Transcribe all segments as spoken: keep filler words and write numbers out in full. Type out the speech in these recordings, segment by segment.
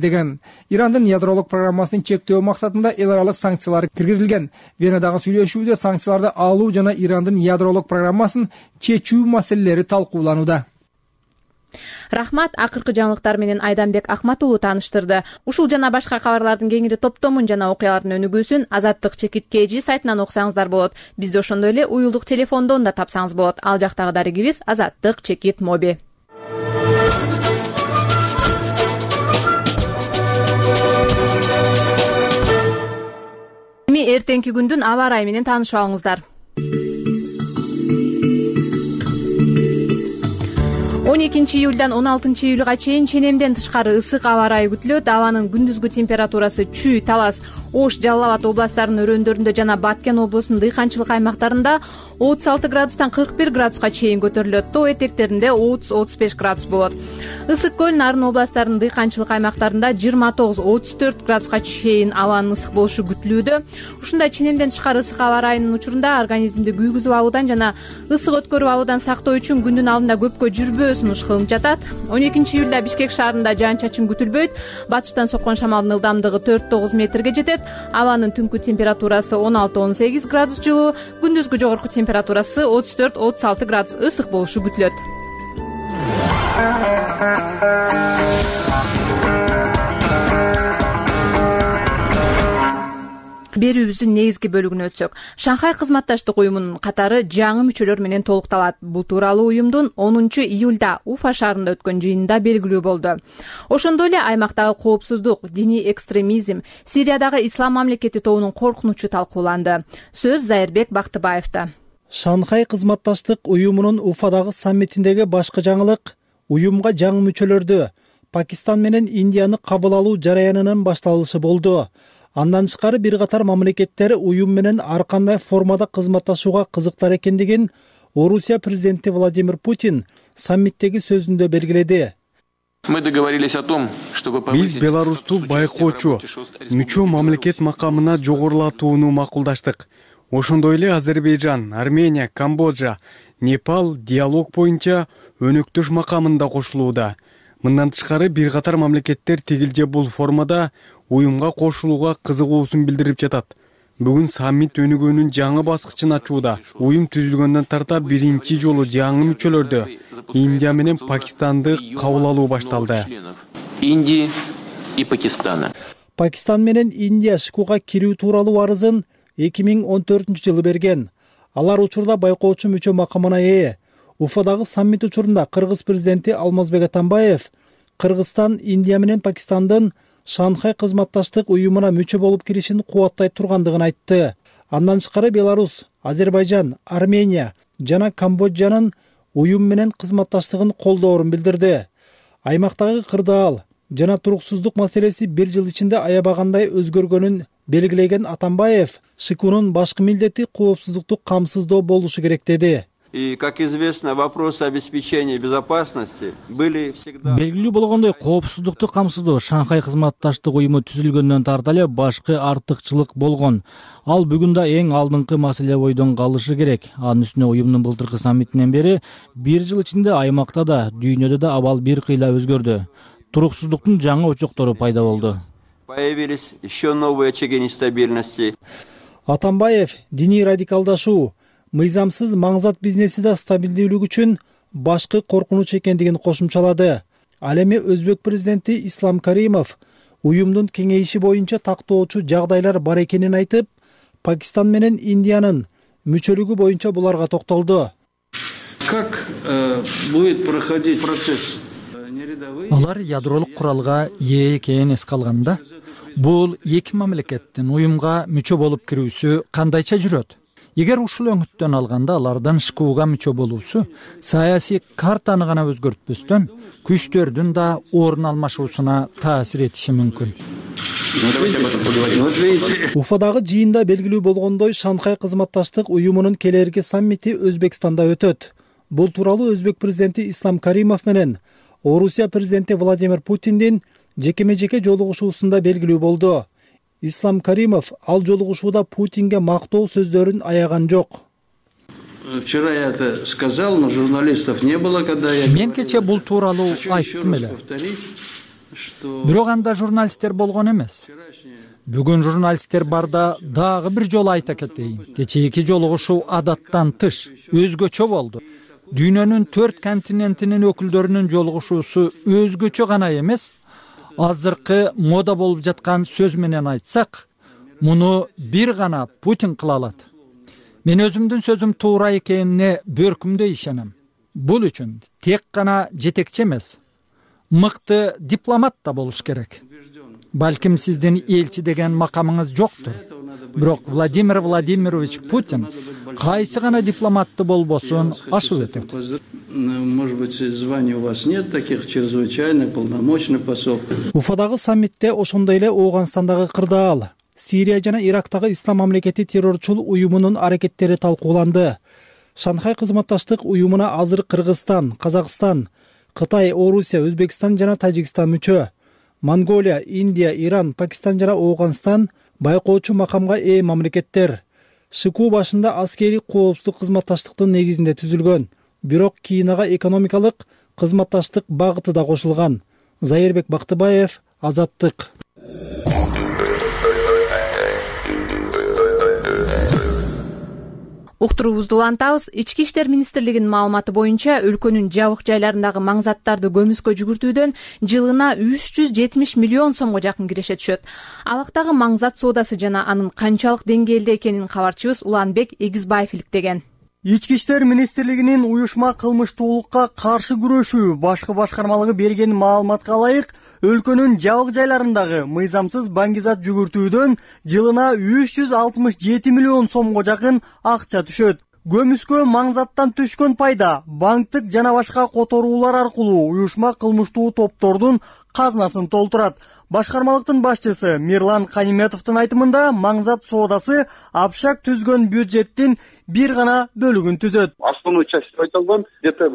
деген. Ирандын ядролук программасын чектөө максатында эл аралык санкциялар киргизилген. Венадагы сүйлөшүүдө санкцияларды алуу жана Ирандын ядролук программасын чечүү маселелери талкууланууда. Рахмат, акыркы жаңылыктар менен Айданбек Ахмат уулу тааныштырды. Ушул жана башка кабарлардын кеңири топтомун жана окуялардын өнүгүүсүн Азаттык чекит kg сайтынан окусаңыздар болот. Бизди ошондой эле уюлдук телефондон да тапсаңыз болот. Ал жактагы дарегибиз Азаттык чекит моби. Эми эртеңки күндүн аба ырайы менен таанышып алыңыздар. он экинчи июлдан он алтынчы июлга чейин ченемден тышкары ысык аба ырайы күтүлөт. Абанын күндүзгү температурасы Чүй, Талас, Ош, Жалал Абад областарынын өрөөндөрүндө жана Баткен облусунун дыйканчылык аймактарында отуз алты градустан кырк бир градуска чейин көтөрүлөт. Тоо этектеринде отуз отуз беш градус болот. Ысык көл, Нарын областарынын дыйканчылык аймактарында жыйырма тогуз отуз төрт градуска чейин абанын ысык болушу күтүлүүдө. Ушундай ченемден тышкары ысык аба ырайынын учурунда организмди күйгүзүп алуудан жана ысык өткөрүп алуудан сактоо үчүн күндүн алдында көпкө жүрбөө сунуш кылынып жатат. он экинчи июлда Бишкек шаарында жаан-чачын күтүлбөйт. Батыштан соккон шамалдын ылдамдыгы төрт тогуз метрге жетет. Абанын түнкү температурасы он алты он сегиз градус жылуу, күндүзгү жогорку температурасы отуз төрт отуз алты градус ысык болушу күтүлөт. Берүүбүздүн негизги бөлүгүнө өтсөк, Шанхай кызматташтык уюмунун катары жаңы мүчөлөр менен толукталат. Бул тууралуу уюмдун онунчу июлда Уфа шаарында өткөн жыйынында белгилүү болду. Ошондой эле аймактагы коопсуздук, диний экстремизм, Сириядагы ислам мамлекети тобунун коркунучу талкууланды. Сөз Зайырбек Бактыбаевда. Шанхай кызматташтык уюмунун Уфадагы саммитиндеги башкы жаңылык уюмга жаңы мүчөлөрдү Пакистан менен Индияны кабыл алуу жараянынын башталышы болду. Андан тышкары бир катар мамлекеттер уюм менен ар кандай формада кызматташууга кызыктар экендигин Орусия президенти Владимир Путин саммиттеги сөзүндө белгиледи. Биз Беларусту байкоочу, мүчө мамлекет макамына жогорулатууну макулдаштык. Ошондой эле Азербайжан, Армения, Камбоджа, Непал диалог боюнча өнөктөш макамында кошулууда. Мындан тышкары бир катар мамлекеттер тигил же бул формада уюмга кошулууга кызыгуусун билдирип жатат. Бүгүн саммит өнүгүүнүн жаңы баскычын ачууда. Уюм түзүлгөндөн тарта биринчи жолу жаңы мүчөлөрдү Индия менен Пакистанды кабыл алуу башталды. Индии и Пакистана. Пакистан менен Индия ШКУга кирүү тууралуу арызын эки миң он төртүнчү жылы берген. Алар учурда байкоочу мүчө макамына ээ. Уфадагы саммит учурунда Кыргыз президенти Алмазбек Атамбаев Кыргызстан, Индия менен Пакистандын Шанхай кызматташтык уюмуна мүчө болуп киришин кубаттай тургандыгын айтты. Андан тышкары Беларусь, Азербайжан, Армения жана Камбоджанын уюм менен кызматташтыгын колдоорун билдирди. Аймактагы кырдаал жана туруксуздук маселеси бир жыл ичинде аябагандай өзгөргөнүн белгилеген Атамбаев, ШКУнун башкы милдети коопсуздукту камсыздоо болушу керек деди. И, как известно, вопросы обеспечения безопасности были всегда... Белгилүү болгондой, коопсуздукту камсыздоо Шанхай кызматташтык уюму түзүлгөндөн тарта эле башкы артыкчылык болгон. Ал бүгүн да эң алдыңкы маселе бойдон калышы керек. Анын үстүнө уюмдун былтыркы саммитинен бери бир жыл ичинде аймакта да, дүйнөдө да абал бир кыйла өзгөрдү. Туруксуздуктун жаңы очоктору пайда болду. Появились еще новые очаги нестабильности. Атамбаев диний радикалдашуу, мыйзамсыз маңзат бизнеси да стабилдүүлүк үчүн башкы коркунуч экендигин кошумчалады. Ал эми Өзбек президенти Ислам Каримов уюмдун кеңейиши боюнча тактоочу жагдайлар бар экенин айтып, Пакистан менен Индиянын мүчөлүгү боюнча буларга токтолду. Как э, будет проходить процесс? Алар ядролук куралга ээ экенин эске алганда, бул эки мамлекеттин уюмга мүчө болуп кирүүсү кандайча жүрөт? Эгер ушул өңүттөн алганда алардан ШКУга мүчө болуусу саясий картаны гана өзгөртпөстөн күчтөрдүн да орун алмашуусуна таасир этиши мүмкүн. Уфадагы жыйында белгилүү болгондой, Шанхай кызматташтык уюмунун келерки саммити Өзбекстанда өтөт. Бул тууралуу Өзбек президенти Ислам Каримов менен Орусия президенти Владимир Путиндин жекеме-жеке жолугушуусунда белгилүү болду. Ислам Каримов ал жолугушууда Путинге мактоо сөздөрүн аяган жок. Вчера я это сказал, но журналистов не было, когда я... Мен кече бул тууралуу айттым эле. бирок анда журналисттер болгон эмес. Бүгүн журналисттер барда дагы бир жолу айта кетейин. Кечээки жолугушуу адаттан тыш, өзгөчө болду. Дүйнөнүн төрт континентинин өкүлдөрүнүн жолугушуусу өзгөчө гана эмес, азыркы мода болуп жаткан сөз менен айтсак, муну бир гана Путин кыла алат. Мен өзүмдүн сөзүм туура экенине бөркүмдөй ишенем. Бул үчүн тек гана жетекчи эмес, мыкты дипломат да болуш керек. Балким сиздин элчи деген макамыңыз жоктур. Бирок Владимир Владимирович Путин кайсы гана дипломатты болбосун ашып өтөт. Может быть, звания у вас нет таких, чрезвычайный, полномочный посол. Уфадагы саммитте ошондой эле Ооганстандагы кырдаал, Сирия жана Ирактагы Ислам мамлекети террорчул уюмунун аракеттери талкууланды. Шанхай кызматташтык уюмуна азыр Кыргызстан, Казакстан, Кытай, Орусия, Өзбекстан жана Тажикстан мүчө. Монголия, Индия, Иран, Пакистан жана Ооганстан байкоочу макамга ээ мамлекеттер. Шыгуу башында аскери коопсуздук кызматташтыктын негизинде түзүлгөн. Бирок кийин ага экономикалык кызматташтык багыты да кошулган. Зайырбек Бактыбаев, Азаттык. Уктуруубузду улантабыз. Ички иштер министрлигинин маалыматы боюнча өлкөнүн жабык жайларындагы маңзаттарды көмүскө жүгүртүүдөн жылына үч жүз жетимиш миллион сомго жакын киреше түшөт. Алактагы маңзат соодасы жана анын канчалык деңгээлде экенин кабарчыбыз Уланбек Эгизбаев иликтеген. Ички иштер министрлигинин уюшма кылмыштуулукка каршы күрөшүү башкы башкармалыгы берген маалыматка ылайык, өлкөнүн жабык жайларындагы мыйзамсыз баңгизат жүгүртүүдөн жылына үч жүз алтымыш жети миллион сомго жакын акча түшөт. Көмүскө маңзаттан түшкөн пайда банктык жана башка которуулар аркылуу уюшма кылмыштуу топтордун казнасын толтурат. Башкармалыктын башчысы Мирлан Каниметовдун айтымында маңзат соодасы Апшак түзгөн бюджеттин бир гана бөлүгүн түзөт. Основной часть айтылган где-то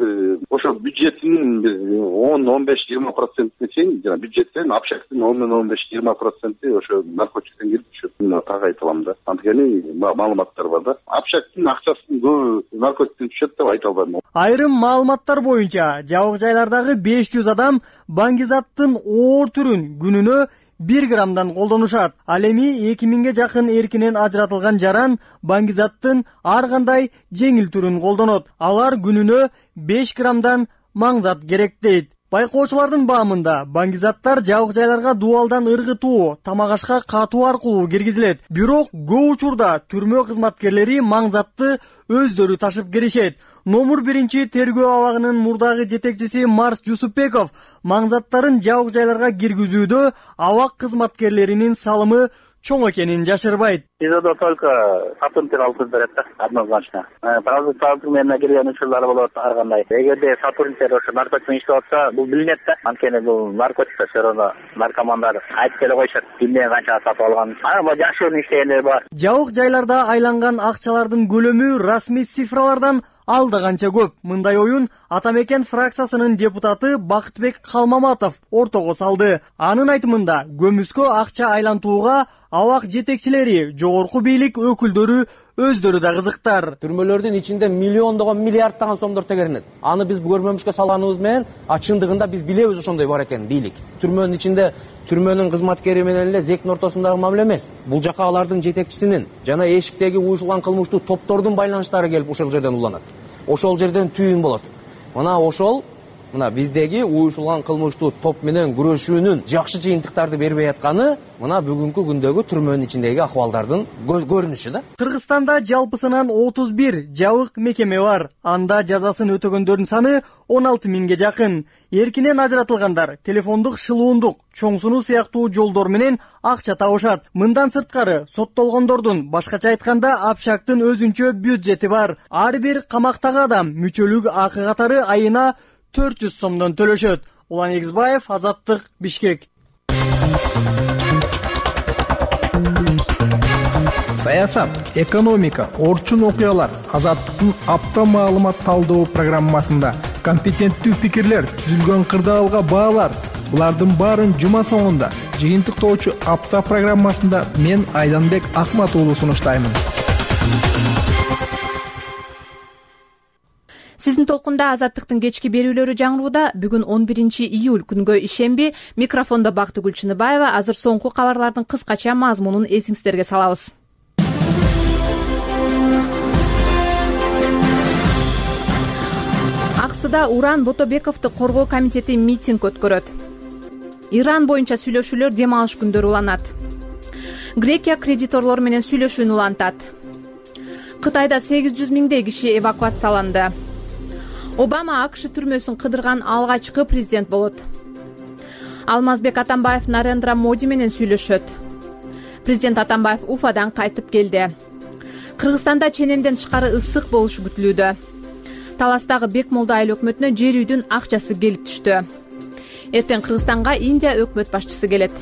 ошо бюджеттин он он беш жыйырма процентине чейин жана бюджеттен Апшактын он он беш жыйырма проценти ошо наркотиктен келип түшөт. Так айтылам да. Анткени маалыматтар бар да. Апшактын акчасын көбү наркотиктен түшөт деп айта албайм. Айрым маалыматтар боюнча жабык жайлардагы беш жүз адам баңгизаттын оор түрүн күнүнө бир граммдан колдонушат. Ал эми эки миңге жакын эркинен ажыратылган жаран баңгизаттын ар кандай жеңил түрүн колдонот. Алар күнүнө беш граммдан маңзат керек дейт. Байкоочулардын баамында баңгизаттар жабык жайларга дубалдан ыргытуу, тамак ашка катуу аркылуу киргизилет. Бирок көп учурда түрмө кызматкерлери маңзатты өздөрү ташып киришет. Номер биринчи тергөө абагынын мурдагы жетекчиси Марс Жусупбеков маңзаттарын жабык жайларга киргизүүдө абак кызматкерлеринин салымы чоң экенин жашырбайт. СИЗОдо только сотрудниктер алып берет да, однозначно. Продукт менен келген учурлар болот ар кандай. Эгерде сотрудниктер ошо наркотик иштеп атса, бул билинет да. Анткени бул наркотик все равно наркомандар айтып келе коюшат. Кимден канча сатып алган. Ана жакшы иштегендер бар. Жабык жайларда айланган акчалардын көлөмү расмий цифралардан алда канча көп. Мындай оюн Атамекен фракциясынын депутаты Бакытбек Калмаматов ортого салды. Анын айтымында көмүскө акча айлантууга абак жетекчилери, жогорку бийлик өкүлдөрү өздөрү да кызыктар. Түрмөлөрдүн ичинде миллиондогон, миллиардтаган сомдор тегеренет. Аны биз көрмөмүшкө салганыбыз менен, а чындыгында биз билебиз ошондой бар экенин бийлик. Түрмөнүн ичинде түрмөнүн кызматкери менен эле зектин ортосундагы мамиле эмес. Бул жака алардын жетекчисинин жана эшиктеги уюшулган кылмыштуу топтордун байланыштары келип ошол жерден уланат. Ошол жерден түйүн болот. Мына ошол мына биздеги уюшулган кылмыштуу топ менен күрөшүүнүн жакшы жыйынтыктарды бербей атканы мына бүгүнкү күндөгү түрмөнүн ичиндеги акыбалдардын көрүнүшү да. Кыргызстанда жалпысынан отуз бир жабык мекеме бар. Анда жазасын өтөгөндөрдүн саны он алты миңге жакын. Эркинен ажыратылгандар телефондук шылуундук, чоң сунуу сыяктуу жолдор менен акча табышат. Мындан сырткары соттолгондордун башкача айтканда Апшактын өзүнчө бюджети бар. Ар бир камактагы адам мүчөлүк акы катары айына төрт жүз сомдон төлөшөт. Улан Эгизбаев, Азаттык, Бишкек. Саясат, экономика, орчун окуялар Азаттыктын апта маалымат талдоо программасында компетенттүү пикирлер, түзүлгөн кырдаалга баалар. Булардын баарын жума соңунда жыйынтыктоочу апта программасында мен Айданбек Акмат уулу сунуштаймын. Сиздин толкунда Азаттыктын кечки берүүлөрү жаңырууда. Бүгүн он биринчи июль күнгө ишемби. Микрофондо Бактыгүл Чыныбаева. Азыр соңку кабарлардын кыскача мазмунун эсиңиздерге салабыз. Аксыда Уран Ботобековду коргоо комитети митинг өткөрөт. Иран боюнча сүйлөшүүлөр дем алыш күндөрү уланат. Грекия кредиторлор менен сүйлөшүүнү улантат. Кытайда сегиз жүз миңдей киши эвакуацияланды. Обама АКШ түрмөсүн кыдырган алгачкы президент болот. Алмазбек Атамбаев Нарендра Моди менен сүйлөшөт. Президент Атамбаев Уфадан кайтып келди. Кыргызстанда ченемден тышкары ысык болушу күтүлүүдө. Таластагы Бекмолду айыл өкмөтүнө жер үйдүн акчасы келип түштү. Эртең Кыргызстанга Индия өкмөт башчысы келет.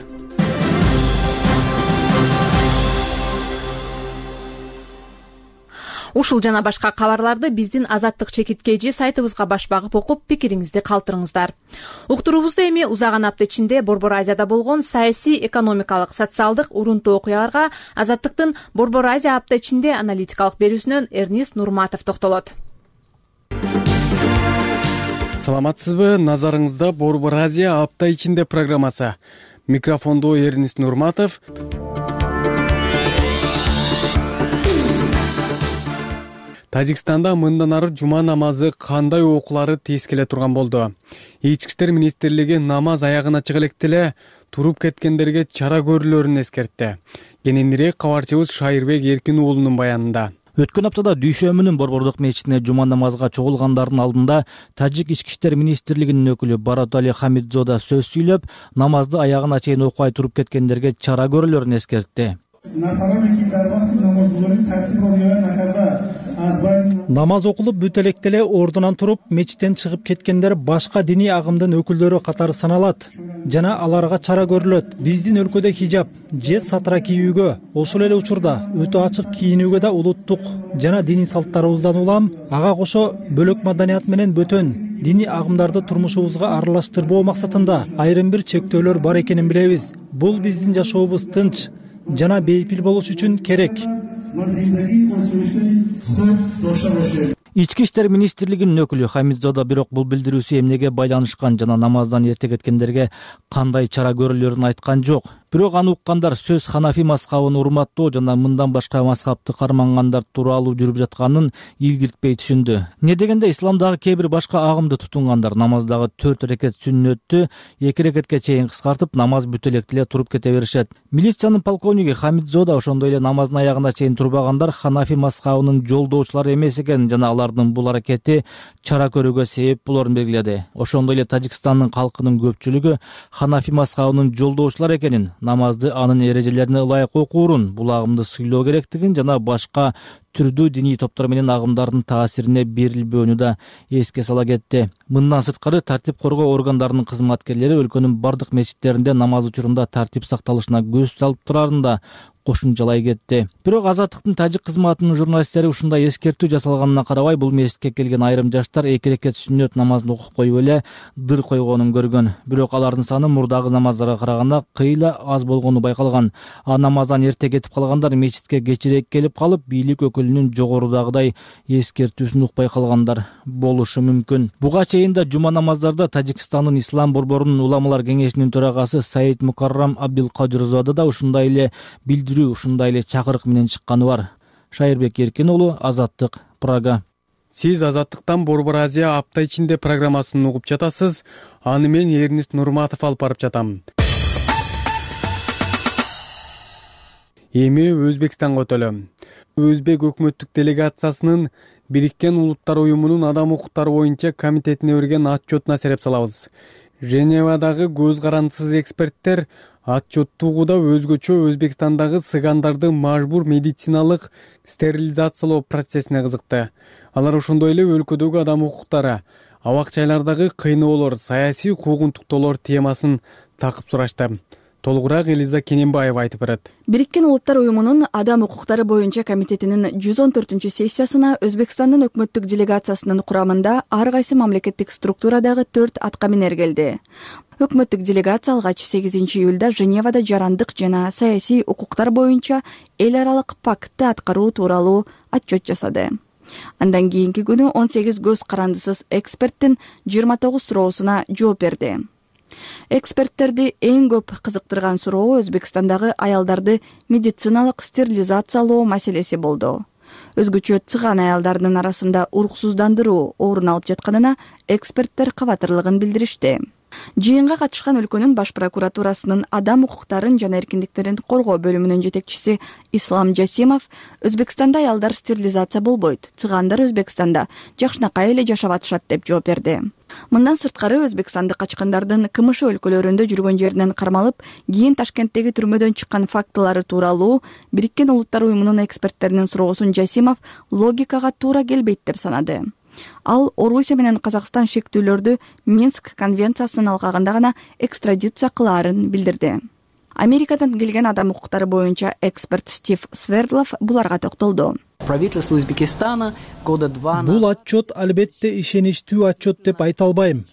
Ушул жана башка кабарларды биздин Азаттык чекиткейжи сайтыбызга баш багып окуп, пикириңизди калтырыңыздар. Уктуруубузда эми узаган апта ичинде Борбор Азияда болгон саясий, экономикалык, социалдык урунтуу окуяларга Азаттыктын Борбор Азия апта ичинде аналитикалык берүүсүнөн Эрнист Нурматов токтолот. Саламатсызбы? Назарыңызда Борбор Азия апта ичинде программасы. Микрофондо Эрнист Нурматов. Тажикстанда мындан ары жума намазы кандай окуулары тез келе турган болду. Ички иштер министрлиги намаз аягына чыга электе эле туруп кеткендерге чара көрүүлөрүн эскертти. Кененирээк кабарчыбыз Шайырбек Эркин уулунун баянында. Өткөн аптада Дүйшөмүнүн борбордук мечитине жума намазга чогулгандардын алдында Тажик ички иштер министрлигинин өкүлү Баратали Хамидзода сөз сүйлөп, намазды аягына чейин окубай туруп кеткендерге чара көрүүлөрүн эскертти. Намаз окулуп бүт электе эле ордунан туруп, мечиттен чыгып кеткендер башка диний агымдын өкүлдөрү катары саналат жана аларга чара көрүлөт. Биздин өлкөдө хижаб же сатра кийүүгө, ошол эле учурда өтө ачык кийинүүгө да улуттук жана диний салттарыбыздан улам, ага кошо бөлөк маданият менен бөтөн диний агымдарды турмушубузга аралаштырбоо максатында айрым бир чектөөлөр бар экенин билебиз. Бул биздин жашообуз тынч жана бейпил болуш үчүн керек. Ички иштер министрлигинин өкүлү Хамидзода бирок бул билдирүүсү эмнеге байланышкан жана намаздан эрте кеткендерге кандай чара көрүлөрүн айткан жок. Бирок аны уккандар сөз Ханафи мазхабын урматтоо жана мындан башка мазхабты кармангандар тууралуу жүрүп жатканын илгиртпей түшүндү. Не дегенде исламдагы кээ бир башка агымды тутунгандар намаздагы төрт рекет сүннөттү эки рекетке чейин кыскартып, намаз бүт электе эле туруп кете беришет. Милициянын полковниги Хамидзода ошондой эле намаздын аягына чейин турбагандар Ханафи мазхабынын жолдоочулары эмес экен жана алардын бул аракети чара көрүүгө себеп болорун белгиледи. Ошондой эле Тажикстандын калкынын көпчүлүгү Ханафи мазхабынын жолдоочулары экенин, намазды анын эрежелерине ылайык окуурун, бул агымды сыйлоо керектигин жана башка түрдүү диний топтор менен агымдардын таасирине берилбөөнү да эске сала кетти. Мындан сырткары тартип коргоо органдарынын кызматкерлери өлкөнүн бардык мечиттеринде намаз учурунда тартип сакталышына көз салып турарын да кошумчалай кетти. Бирок Азаттыктын тажик кызматынын журналисттери ушундай эскертүү жасалганына карабай, бул мечитке келген айрым жаштар эки рекет сүннөт намазын окуп коюп эле дыр койгонун көргөн. Бирок алардын саны мурдагы намаздарга караганда кыйла аз болгону байкалган. А намаздан эрте кетип калгандар мечитке кечирээк келип калып, бийлик өкүлүнүн жогорудагыдай эскертүүсүн укпай калгандар болушу мүмкүн. Буга чейин да жума намаздарда Тажикстандын ислам борборунун уламалар кеңешинин төрагасы Саид Мукаррам Абдилкадирзода да ушундай эле билдирүү, ушундай эле чакырык менен чыкканы бар. Шайырбек Эркин уулу, Азаттык, Прага. Сиз Азаттыктан Борбор Азия апта ичинде программасын угуп жатасыз. Аны мен Эрнист Нурматов алып барып жатам. Эми Өзбекстанга өтөлөм. Өзбек өкмөттүк делегациясынын Бириккен Улуттар уюмунун адам укуктары боюнча комитетине берген отчетуна сереп салабыз. Женевадагы көз карандысыз эксперттер отчетту угууда өзгөчө Өзбекстандагы сыгандарды мажбур медициналык стерилизациялоо процессине кызыкты. Алар ошондой эле өлкөдөгү адам укуктары, абак-жайлардагы кыйноолор, саясий куугунтуктоолор темасын такып сурашты. Толугураак Элиза Кененбаева айтып берет. Бириккен Улуттар уюмунун адам укуктары боюнча комитетинин жүз он төртүнчү сессиясына Өзбекстандын өкмөттүк делегациясынын курамында ар кайсы мамлекеттик структурадагы төрт аткаминер келди. Өкмөттүк делегация алгач сегизинчи июлда Женевада жарандык жана саясий укуктар боюнча эл аралык пактты аткаруу тууралуу отчет жасады. Андан кийинки күнү он сегиз көз карандысыз эксперттин жыйырма тогуз суроосуна жооп берди. Эксперттерди эң көп кызыктырган суроо Өзбекстандагы аялдарды медициналык стерилизациялоо маселеси болду. Өзгөчө цыган аялдардын арасында уруксуздандыруу орун алып жатканына эксперттер кабатырлыгын билдиришти. Жыйынга катышкан өлкөнүн баш прокуратурасынын адам укуктарын жана эркиндиктерин коргоо бөлүмүнүн жетекчиси Ислам Жасимов Өзбекстанда аялдар стерилизация болбойт, цыгандар Өзбекстанда жакшынакай эле жашап атышат деп жооп берди. Мындан сырткары Өзбекстанды качкандардын КМШ өлкөлөрүндө жүргөн жеринен кармалып, кийин Ташкенттеги түрмөдөн чыккан фактылары тууралуу Бириккен Улуттар уюмунун эксперттеринин суроосун Жасимов логикага туура келбейт деп санады. Ал Орусия менен Казакстан шектүүлөрдү Минск конвенциясынын алкагында гана экстрадиция кылаарын билдирди. Америкадан келген адам укуктары боюнча эксперт Стив Свердлов буларга токтолду. Правительство Узбекистана года два Бул отчет албетте ишеничтүү отчет деп айта албайм.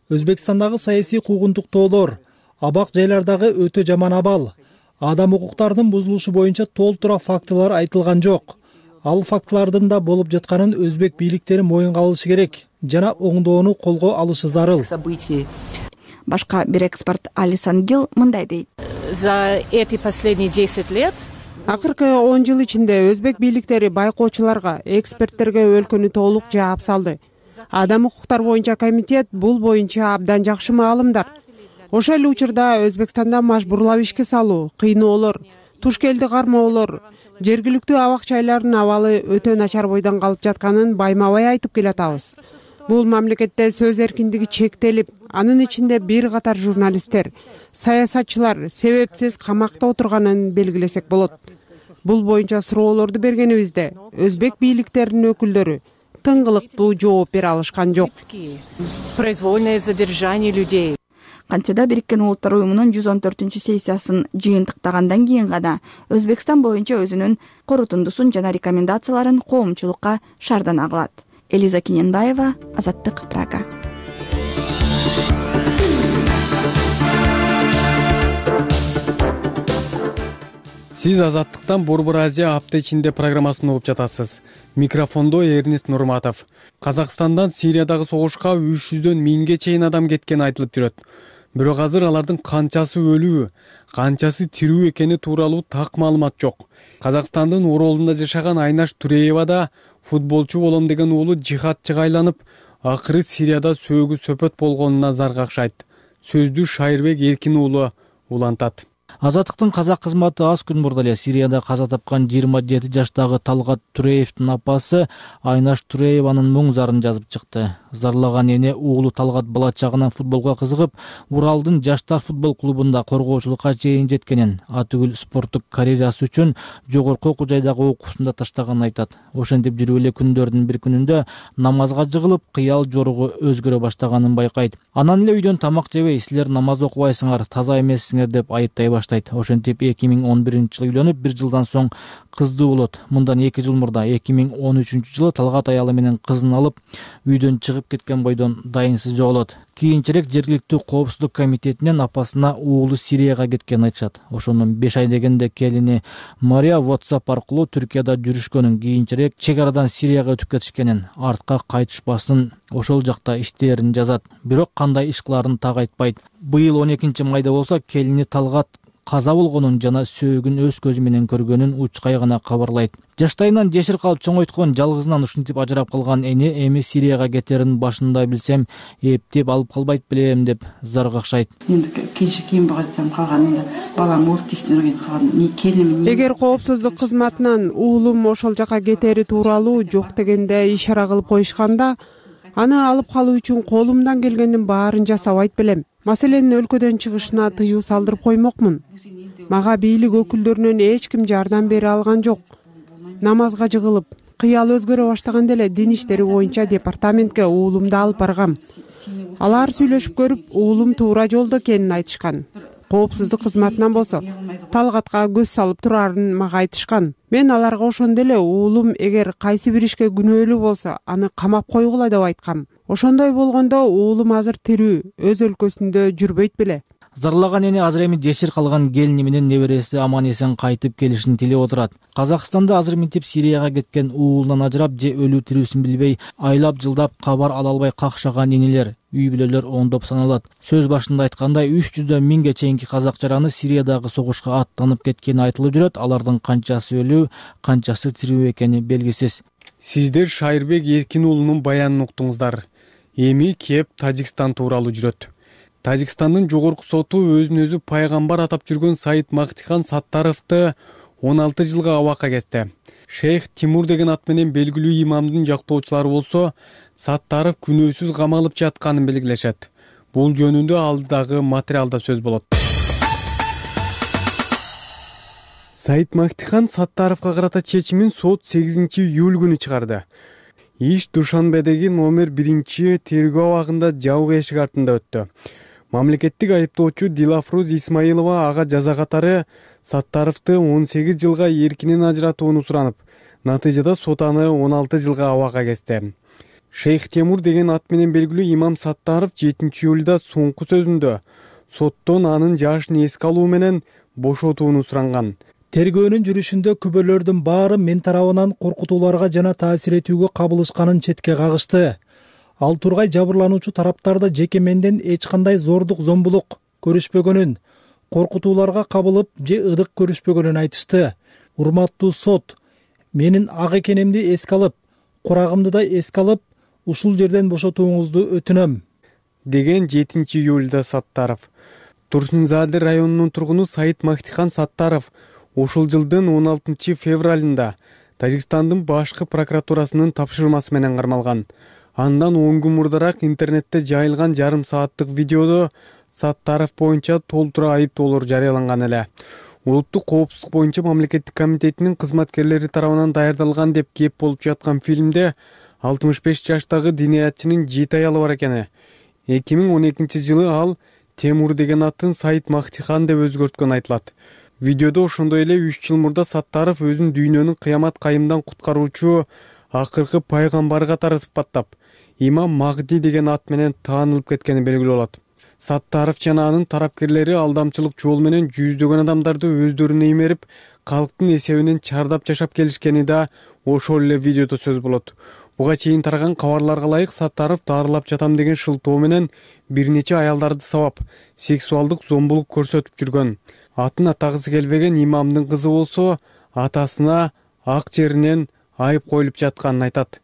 Өзбекстандагы саясий куугунтуктоолор, абак жайлардагы өтө жаман абал, адам укуктарынын бузулушу боюнча толтура фактылар айтылган жок. Ал фактылардын да болуп жатканын өзбек бийликтери моюнга алышы керек жана оңдоону колго алышы зарыл. Башка бир эксперт Алисан Гил мындай дейт. За эти последние десять лет акыркы он жыл ичинде өзбек бийликтери байкоочуларга, эксперттерге өлкөнү толук жаап салды. Адам укуктар боюнча комитет бул боюнча абдан жакшы маалымдар. Ошол эле учурда Өзбекстанда мажбурлап ишке салуу, кыйноолор, туш келди кармоолор, жергиликтүү абак-жайлардын абалы өтө начар бойдон калып жатканын байма-бай айтып келатабыз. Бул мамлекетте сөз эркиндиги чектелип, анын ичинде бир катар журналисттер, саясатчылар себепсиз камакта отурганын белгилесек болот. Бул боюнча суроолорду бергенибизде өзбек бийликтеринин өкүлдөрү тыңгылыктуу жооп бере алышкан жок. Произвольное задержание людей. Кантсе да Бириккен Улуттар уюмунун жүз он төртүнчү сессиясын жыйынтыктагандан кийин гана Өзбекстан боюнча өзүнүн корутундусун жана рекомендацияларын коомчулукка шаардана кылат. Элиза Киненбаева, Азаттык, Прага. Сиз Азаттыктан Борбор Азия апта ичинде программасын угуп жатасыз. Микрофондо Эрнест Нурматов. Казакстандан Сириядагы согушка үч жүздөн миңге чейин адам кеткени айтылып жүрөт. Бирок азыр алардын канчасы өлүү, канчасы тирүү экени тууралуу так маалымат жок. Казакстандын Оролунда жашаган Айнаш Туреева да футболчу болом деген уулу жихадчыга айланып, акыры Сирияда сөөгү сөпөт болгонуна зар какшайт. Сөздү Шайырбек Эркин уулу улантат. Азаттыктын казак кызматы аз күн мурда эле Сирияда каза тапкан жыйырма жети жаштагы Талгат Туреевдин апасы Айнаш Турееванын муң зарын жазып чыкты. Зарлаган эне уулу Талгат бала чагынан футболго кызыгып, Уралдын жаштар футбол клубунда коргоочулукка чейин жеткенин, атүгүл спорттук карьерасы үчүн жогорку окуу жайдагы окуусунда таштаганын айтат. Ошентип жүрүп эле күндөрдүн бир күнүндө намазга жыгылып, кыял жоругу өзгөрө баштаганын байкайт. Анан эле үйдөн тамак жебей, силер намаз окубайсыңар, таза эмессиңер деп айыптай баштайт. Ошентип эки миң он биринчи жылы үйлөнүп, бир жылдан соң кыздуу болот. Мындан эки жыл мурда эки миң он үчүнчү жылы Талгат аялы менен кызын алып, үйдөн чыгып кеткен бойдон дайынсыз жоголот. Кийинчерээк жергиликтүү коопсуздук комитетинен апасына уулу Сирияга кеткенин айтышат. Ошондон беш ай дегенде келини Мария WhatsApp аркылуу Түркияда жүрүшкөнүн, кийинчерээк чек арадан Сирияга өтүп кетишкенин, артка кайтышпасын, ошол жакта иштерин жазат. Бирок кандай иш кылаарын так айтпайт. Быйыл он экинчи майда болсо келини Талгат каза болгонун жана сөөгүн өз көзү менен көргөнүн учкай гана кабарлайт. Жаштайынан жесир калып чоңойткон, жалгызынан ушинтип ажырап калган эне эми Сирияга кетерин башында билсем, эптеп алып калбайт белем деп зар какшайт. Энди кече кийин багатам калганында балам өлүп тестирген калган. Келиним Эгер коопсуздук кызматынан уулум ошол жака кетери тууралуу жок дегенде ишара кылып коюшканда, аны алып калуу үчүн колумдан келгендин баарын жасабайт белем. Маселенин өлкөдөн чыгышына тыюу салдырып коймокмун. Мага бийлик өкүлдөрүнөн эч ким жардам бере алган жок. Намазга жыгылып, кыял өзгөрө баштаганда эле дин иштери боюнча департаментке уулумду алып баргам. Алар сүйлөшүп көрүп, уулум туура жолдо экенин айтышкан. Коопсуздук кызматынан болсо Талгатка көз салып турарын мага айтышкан. Мен аларга ошондо эле уулум эгер кайсы бир ишке күнөөлүү болсо, аны камап койгула деп айткам. Ошондой болгондо уулум азыр тирүү, өз өлкөсүндө жүрбөйт беле. Зарлаган эне азыр эми жесир калган келини менен небереси аман эсен кайтып келишин тилеп отурат. Казакстанда азыр минтип Сирияга кеткен уулунан ажырап же өлүү тирүүсүн билбей айлап жылдап кабар ала албай какшаган энелер, үй бүлөлөр оңдоп саналат. Сөз башында айткандай үч жүздөн миңге чейинки казак жараны Сириядагы согушка аттанып кеткени айтылып жүрөт. Алардын канчасы өлүү, канчасы тирүү экени белгисиз. Сиздер Шайырбек Эркин уулунун баянын уктуңуздар. Эми кеп Тажикстан тууралуу жүрөт. Тажикстандын жогорку соту өзүн өзү пайгамбар атап жүргөн Саид Мактихан Саттаровду он алты жылга абакка кетти. Шейх Тимур деген ат менен белгилүү имамдын жактоочулары болсо, Саттаров күнөөсүз камалып жатканын белгилешет. Бул жөнүндө алдыдагы материалда сөз болот. Саид Мактихан Саттаровго карата чечимин сот сегизинчи июль күнү чыгарды. Иш Душанбедеги номер биринчи тергөө абагында жабык эшик артында өттү. Мамлекеттик айыптоочу Дилафруз Исмаилова ага жаза катары Саттаровду он сегиз жылга эркинен ажыратууну суранып, натыйжада сот аны он алты жылга абакка кести. Шейх Тимур деген ат менен белгилүү имам Саттаров жетинчи июлда соңку сөзүндө соттон анын жашын эске алуу менен бошотууну суранган. Тергөөнүн жүрүшүндө күбөлөрдүн баары мен тарабынан коркутууларга жана таасир этүүгө кабылышканын четке кагышты. Ал тургай жабырлануучу тараптарда жеке менден эч кандай зордук зомбулук көрүшпөгөнүн, коркутууларга кабылып же ыдык көрүшпөгөнүн айтышты. Урматтуу сот, менин ак экенимди эске алып, курагымды да эске алып, ушул жерден бошотууңузду өтүнөм, деген жетинчи июлда Саттаров. Турсунзаде районунун тургуну Саид Мактихан Саттаров ушул жылдын он алтынчы февралында Тажикстандын башкы прокуратурасынын тапшырмасы менен кармалган. Андан он күн мурдараак интернетте жайылган жарым сааттык видеодо Саттаров боюнча толтура айыптоолор жарыяланган эле. Улуттук коопсуздук боюнча мамлекеттик комитетинин кызматкерлери тарабынан даярдалган деп кеп болуп жаткан фильмде алтымыш беш жаштагы диниятчынын жети аялы бар экени. эки миң он экинчи жылы ал Темур деген атын Саид Мактихан деп өзгөрткөн айтылат. Видеодо ошондой эле үч жыл мурда Саттаров өзүн дүйнөнүн кыямат кайымдан куткаруучу акыркы пайгамбар катары сыпаттап, имам Магди деген ат менен таанылып кеткени белгилүү болот. Саттаров жана анын тарапкерлери алдамчылык жол менен жүздөгөн адамдарды өздөрүнө имерип, калктын эсебинен чардап жашап келишкени да ошол эле видеодо сөз болот. Буга чейин тараган кабарларга ылайык Саттаров дарылап жатам деген шылтоо менен бир нече аялдарды сабап, сексуалдык зомбулук көрсөтүп жүргөн. Атын атагысы келбеген имамдын кызы болсо, атасына ак жеринен айып коюлуп жатканын айтат.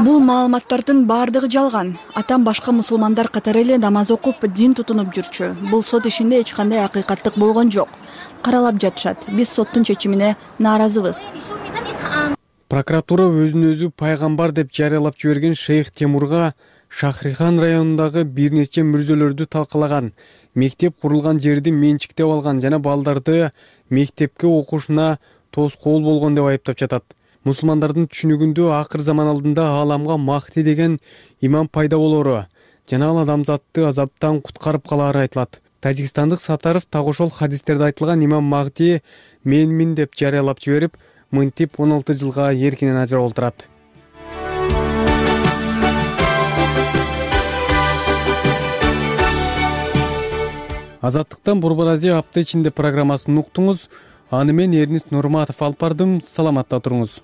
Бул маалыматтардын баардыгы жалган. Атам башка мусулмандар катары эле намаз окуп, дин тутунуп жүрчү. Бул сот ишинде эч кандай акыйкаттык болгон жок. Каралап жатышат. Биз соттун чечимине нааразыбыз. Прокуратура өзүн өзү пайгамбар деп жарыялап жиберген Шейх Темурга Шахрихан районундагы бир нече мүрзөлөрдү талкалаган, мектеп курулган жерди менчиктеп алган жана балдарды мектепке окушуна тоскоол болгон деп айыптап жатат. Мусулмандардын түшүнүгүндө акыр заман алдында ааламга Махди деген имам пайда болору жана ал адамзатты азаптан куткарып калаары айтылат. Тажикстандык Саттаров так ошол хадистерде айтылган имам Махди менмин деп жарыялап жиберип, мынтип он алты жылга эркинен ажырап отурат. Азаттыктан Борбор Азия апта ичинде программасын уктуңуз. Аны мен Эрнис Нурматов алып бардым. Саламатта туруңуз.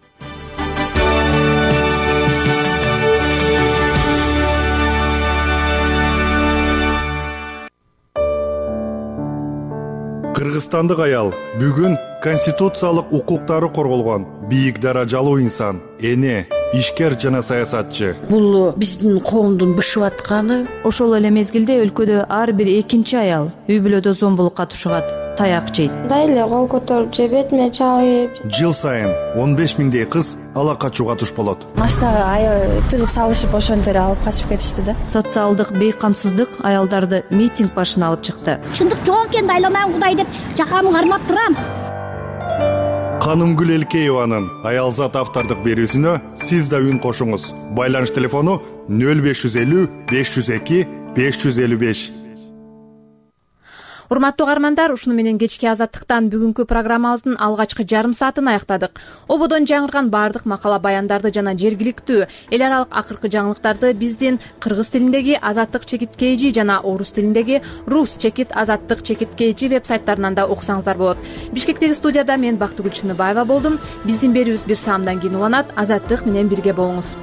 Кыргызстандык аял бүгүн конституциялык укуктары корголгон бийик даражалуу инсан, эне, ишкер жана саясатчы. Бул биздин коомдун бышып атканы. Ошол эле мезгилде өлкөдө ар бир экинчи аял үй бүлөдө зомбулукка тушугат, таяк жейт. Мындай эле кол көтөрүп же бетиме чабып. Жыл сайын он беш миңдей кыз ала качууга туш болот. Машинага аябай тыгып салышып ошондо эле алып качып кетишти да. Социалдык бейкамсыздык аялдарды митинг башына алып чыкты. Чындык жок экенин айламайм Кудай деп жакамы кармап турам. Канымгүл Элкееванын Аялзат автордук берүүсүнө сиз да үн кошуңуз. Байланыш телефону нөл беш жүз элүү беш жүз эки беш жүз элүү беш. урматтуу угармандар, ушуну менен кечки Азаттыктан бүгүнкү программабыздын алгачкы жарым саатын аяктадык. Ободон жаңырган баардык макала баяндарды жана жергиликтүү эл аралык акыркы жаңылыктарды биздин кыргыз тилиндеги Азаттык чекит kg жана орус тилиндеги Рус чекит Азаттык чекит kg веб-сайттарынан да окусаңыздар болот. Бишкектеги студияда мен Бактыгүл Чыныбаева болдум. Биздин берүүбүз бир саамдан кийин уланат. Азаттык менен бирге болуңуз.